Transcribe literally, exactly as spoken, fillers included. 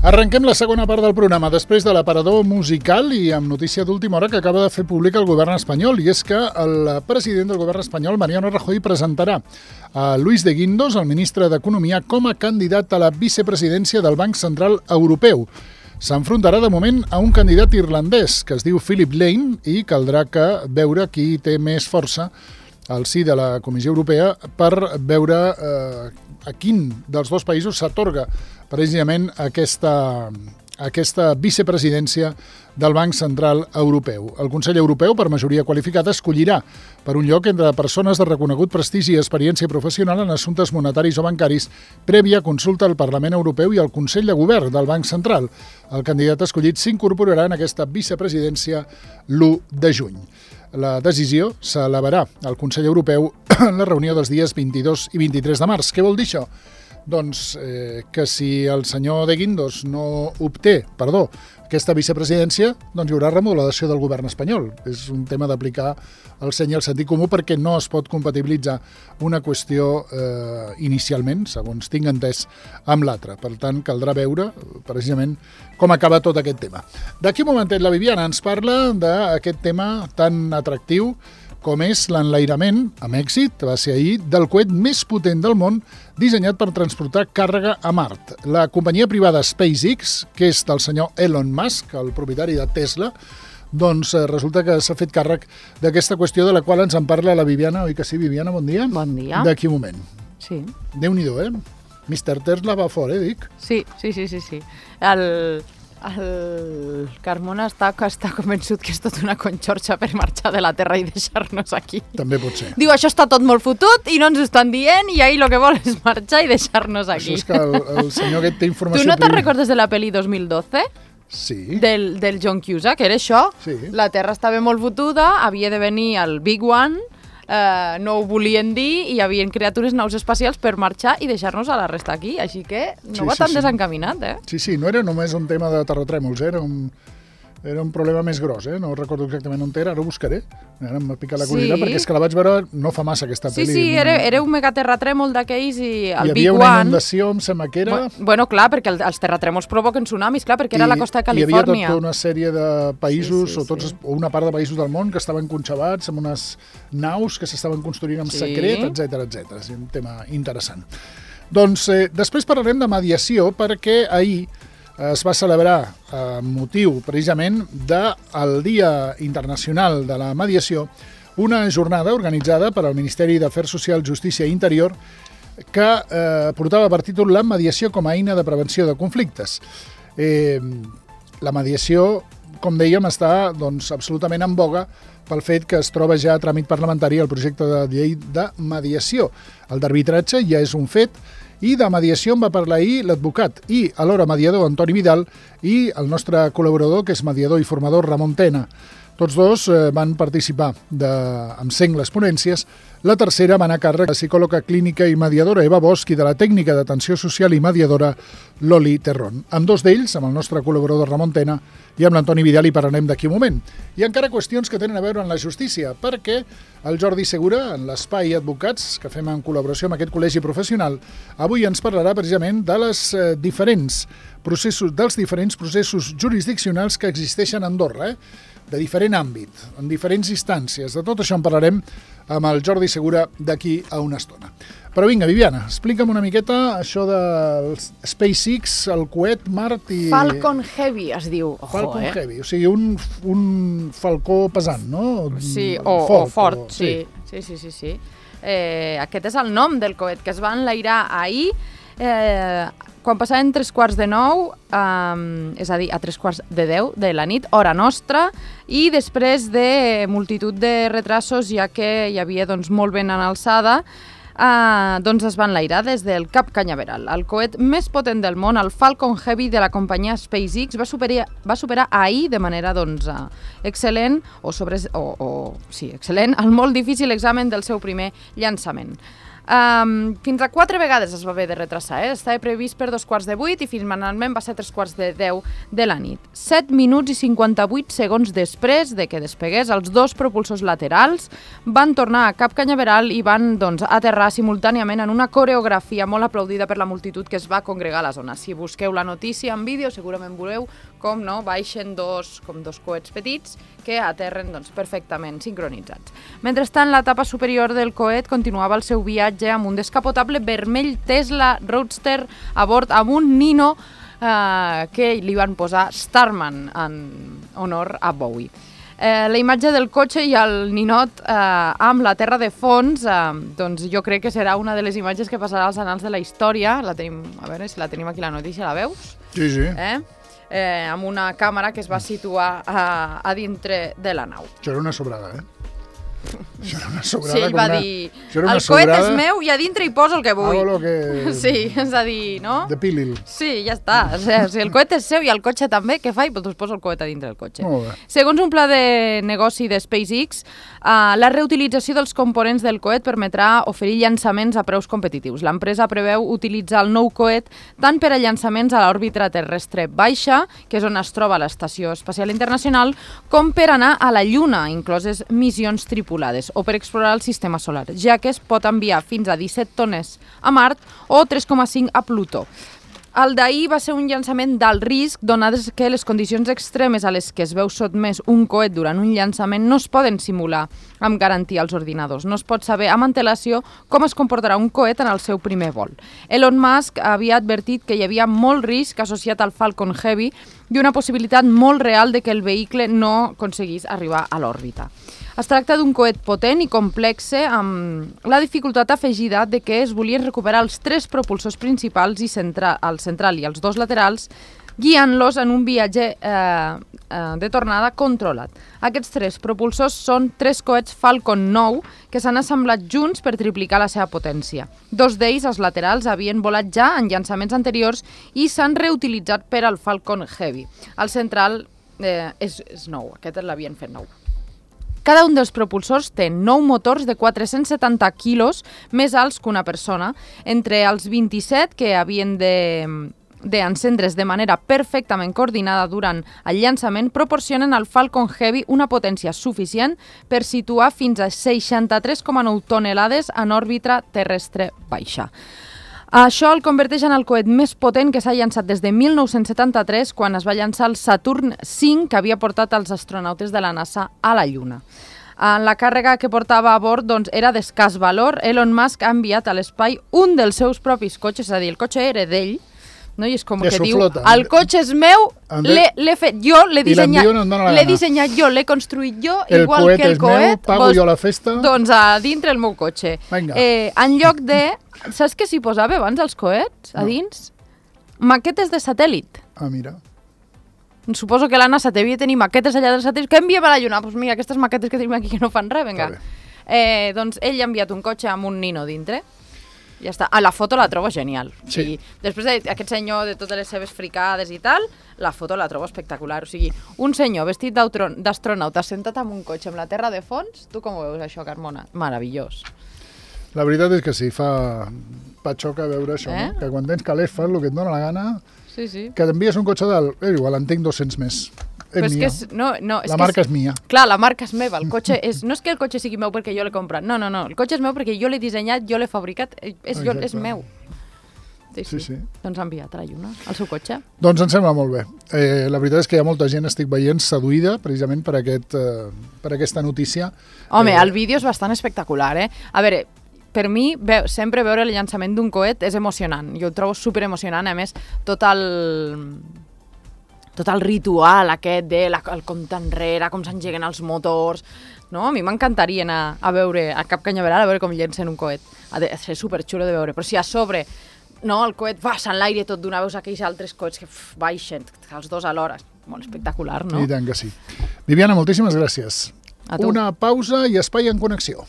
Arrenquem la segona part del programa després de l'aparador musical i amb notícia d'última hora que acaba de fer públic el govern espanyol, i és que el president del govern espanyol, Mariano Rajoy, presentarà a Luis de Guindos, el ministre d'Economia, com a candidat a la vicepresidència del Banc Central Europeu. S'enfrontarà de moment a un candidat irlandès que es diu Philip Lane i caldrà que veure qui té més força al si de la Comissió Europea per veure eh, a quin dels dos països s'atorga precisament aquesta, aquesta vicepresidència del Banc Central Europeu. El Consell Europeu, per majoria qualificada, escollirà per un lloc entre persones de reconegut prestigi i experiència professional en assumptes monetaris o bancaris, prèvia consulta al Parlament Europeu i al Consell de Govern del Banc Central. El candidat escollit s'incorporarà en aquesta vicepresidència l'u de juny. La decisió s'elevarà al Consell Europeu en la reunió dels dies vint-i-dos i vint-i-tres de març. Què vol dir això? Doncs eh, que si el senyor de Guindos no obté, perdó, aquesta vicepresidència, doncs hi haurà remodelació del govern espanyol. És un tema d'aplicar el seny i el sentit comú perquè no es pot compatibilitzar una qüestió eh, inicialment, segons tinc entès, amb l'altra. Per tant, caldrà veure precisament com acaba tot aquest tema. D'aquí un momentet la Viviana ens parla d'aquest tema tan atractiu com és l'enlairament, amb èxit, va ser ahir, del coet més potent del món dissenyat per transportar càrrega a Mart. La companyia privada SpaceX, que és del senyor Elon Musk, el propietari de Tesla, doncs resulta que s'ha fet càrrec d'aquesta qüestió de la qual ens en parla la Viviana. Oi que sí, Viviana? Bon dia. Bon dia. D'aquí un moment. Sí. Déu-n'hi-do, eh? mister Tesla va fora, eh, dic? Sí, sí, sí, sí. sí. El... El Carmona està, està convençut que és tot una conxorxa per marxar de la Terra i deixar-nos aquí. També pot ser. Diu, això està tot molt fotut i no ens ho estan dient i ahir el que vol és marxar i deixar-nos aquí. Això és que el, el senyor aquest té informació... Tu no te'n recordes de la pel·li dos mil dotze? Sí. Del, del John Cusack, que era això? Sí. La Terra estava molt fotuda, havia de venir el Big One, Uh, no ho volien dir i hi havia criatures naus espacials per marxar i deixar-nos a la resta aquí, així que no sí, va sí, tan sí. desencaminat, eh? Sí, sí, no era només un tema de terratrèmols, eh? era un... Era un problema més gros, eh? No recordo exactament on era, ara ho buscaré. Ara m'ha picat la curiositat, Sí. perquè és que la vaig veure no fa massa, aquesta Sí, pel·li. sí, era, era un megaterratrèmol d'aquells i el Hi Big havia una One... inundació, em sembla que era... Bu- Bueno, clar, perquè el, els terratrèmols provoquen tsunamis, clar, perquè era a la costa de Hi havia Califòrnia. tota una sèrie de països, Sí, sí, o, tots, sí. o una part de països del món que estaven conxabats amb unes naus que s'estaven construint en Sí. secret, etcètera, etcètera. És un tema interessant. Doncs eh, després parlarem de mediació, perquè ahir es va celebrar eh, motiu precisament del Dia Internacional de la Mediació, una jornada organitzada per al Ministeri d'Afers Socials, Justícia i Interior que eh, portava per títol la mediació com a eina de prevenció de conflictes. Eh, la mediació, com dèiem, està doncs, absolutament en boga pel fet que es troba ja a tràmit parlamentari el projecte de llei de mediació. El d'arbitratge ja és un fet, i de mediació en va parlar ahir l'advocat i alhora mediador Antoni Vidal i el nostre col·laborador, que és mediador i formador, Ramon Tena. Tots dos eh, van participar de, amb sengles ponències. La tercera va anar a càrrec de psicòloga clínica i mediadora Eva Bosch i de la tècnica d'atenció social i mediadora Loli Terrón. Amb dos d'ells, amb el nostre col·laborador Ramon Tena i amb l'Antoni Vidal, hi parlarem d'aquí un moment. I encara qüestions que tenen a veure amb la justícia, perquè el Jordi Segura, en l'Espai Advocats, que fem en col·laboració amb aquest col·legi professional, avui ens parlarà precisament de les eh, diferents processos, dels diferents processos jurisdiccionals que existeixen a Andorra, eh? de diferent àmbit, en diferents instàncies. De tot això en parlarem amb el Jordi Segura d'aquí a una estona. Però vinga, Viviana, explica'm una miqueta això del SpaceX, el coet Mart i... Falcon Heavy es diu. Ojo, Falcon eh? Heavy, o sigui, un, un falcó pesant, no? Sí, o fort, fort, o fort o... sí. Sí, sí, sí, sí. Eh, aquest és el nom del coet que es va enlairar ahir, eh, quan passaven tres quarts de nou, um, és a dir, a tres quarts de deu de la nit, hora nostra, i després de multitud de retrasos, ja que hi havia doncs, molt vent en alçada, uh, doncs es va enlairar des del Cap Canyaveral. El coet més potent del món, el Falcon Heavy de la companyia SpaceX, va superar, va superar ahir de manera doncs, uh, excel·lent, o, sobre, o, o sí, excel·lent, el molt difícil examen del seu primer llançament. Um, fins a quatre vegades es va haver de retrasar, eh? Estava previst per dos quarts de vuit i finalment va ser tres quarts de deu de la nit. set minuts i cinquanta-vuit segons després de que despegués, els dos propulsors laterals van tornar a Cap Canyaveral i van doncs, aterrar simultàniament en una coreografia molt aplaudida per la multitud que es va congregar a la zona. Si busqueu la notícia en vídeo segurament veureu com no, baixen dos, com dos coets petits que aterren doncs, perfectament sincronitzats. Mentrestant, l'etapa superior del coet continuava el seu viatge amb un descapotable vermell Tesla Roadster a bord amb un nino eh, que li van posar Starman en honor a Bowie. Eh, la imatge del cotxe i el ninot eh, amb la terra de fons, eh, doncs jo crec que serà una de les imatges que passarà als anals de la història. La tenim, a veure si la tenim aquí la notícia, la veus? Sí, sí. Eh? Eh, amb una càmera que es va situar a, a dintre de la nau. Això era una sobrada, eh? Això era una sobrada. Sí, ell va una... dir, el coet és meu i a dintre hi poso el que vull. Hago lo que... Sí, és a dir, no? De pilil. Sí, ja està. O sigui, si el coet és seu i el cotxe també, què faig? Doncs poso el coet a dintre del cotxe. Molt bé. Segons un pla de negoci de SpaceX, uh, la reutilització dels components del coet permetrà oferir llançaments a preus competitius. L'empresa preveu utilitzar el nou coet tant per a llançaments a l'òrbita terrestre baixa, que és on es troba l'Estació Espacial Internacional, com per anar a la Lluna, incloses missions tripulades, o per explorar el sistema solar, ja que es pot enviar fins a disset tones a Mart o tres coma cinc a Plutó. El d'ahir va ser un llançament d'alt risc, donades que les condicions extremes a les que es veu sotmès un coet durant un llançament no es poden simular amb garantia als ordinadors. No es pot saber amb antelació com es comportarà un coet en el seu primer vol. Elon Musk havia advertit que hi havia molt risc associat al Falcon Heavy i una possibilitat molt real de que el vehicle no aconseguís arribar a l'òrbita. Es tracta d'un coet potent i complexe amb la dificultat afegida de que es volien recuperar els tres propulsors principals i centra, el central i els dos laterals, guiant-los en un viatge eh, eh, de tornada controlat. Aquests tres propulsors són tres coets Falcon nou que s'han assemblat junts per triplicar la seva potència. Dos d'ells, els laterals, havien volat ja en llançaments anteriors i s'han reutilitzat per al Falcon Heavy. El central eh, és, és nou, aquest l'havien fet nou. Cada un dels propulsors té nou motors de quatre-cents setanta quilos més alts que una persona, entre els vint-i-set que havien de... d'encendre's de manera perfectament coordinada durant el llançament, proporcionen al Falcon Heavy una potència suficient per situar fins a seixanta-tres coma nou tonelades en òrbita terrestre baixa. Això el converteix en el coet més potent que s'ha llançat des de mil nou-cents setanta-tres, quan es va llançar el Saturn cinc, que havia portat els astronautes de la NASA a la Lluna. La càrrega que portava a bord doncs, era d'escàs valor. Elon Musk ha enviat a l'espai un dels seus propis cotxes, és a dir, el cotxe era d'ell, no? I és com de que diu, flota. el cotxe és meu, l'he fet jo, l'he dissenyat, l'he dissenyat jo, l'he construït jo, el igual que el coet, meu, pago doncs, jo la festa. Doncs a dintre el meu cotxe. Eh, en lloc de... Saps què s'hi posava abans als coets, a dins? No. Maquetes de satèl·lit. Ah, mira. Suposo que la NASA devia tenir maquetes allà dels satèl·lits. Què enviem a la Lluna? Doncs pues mira, aquestes maquetes que tenim aquí que no fan res, vinga. Eh, doncs ell ha enviat un cotxe amb un nino dintre. Ja està. A la foto la trobo genial. Sí. I després d'aquest senyor de totes les seves fricades i tal, la foto la trobo espectacular. O sigui, un senyor vestit d'astronauta sentat en un cotxe amb la terra de fons, tu com ho veus això, Carmona? Meravellós. La veritat és que sí, fa patxoca veure això, eh? No? Que quan tens calés fas el que et dóna la gana, sí, sí. Que t'envies un cotxe dalt, eh, igual en tinc dos-cents més. És Però és mia. que és, no, no, és la que marca és, és mia. Clar, la marca és meva, el cotxe és... No és que el cotxe sigui meu perquè jo l'he comprat, no, no, no, el cotxe és meu perquè jo l'he dissenyat, jo l'he fabricat, és, jo, és meu. Sí, sí, sí. Doncs ha enviat a la Lluna, el seu cotxe. Doncs em sembla molt bé. Eh, la veritat és que hi ha molta gent, estic veient, seduïda precisament per, aquest, eh, per aquesta notícia. Home, eh, el vídeo és bastant espectacular, eh? A veure, per mi, ve, sempre veure el llançament d'un coet és emocionant. Jo ho trobo super emocionant, a més, tot el... tot el ritual aquest de la, el compte enrere, com s'engeguen els motors, no? A mi m'encantaria anar a veure a Cap Canyaveral a veure com llencen un coet. Ha de ser superxulo de veure, però si a sobre no, el coet va a l'aire tot d'una, veus aquells altres coets que uf, baixen, els dos alhora, molt espectacular, no? I tant que sí. Viviana, moltíssimes gràcies. A tu. Una pausa i espai en connexió.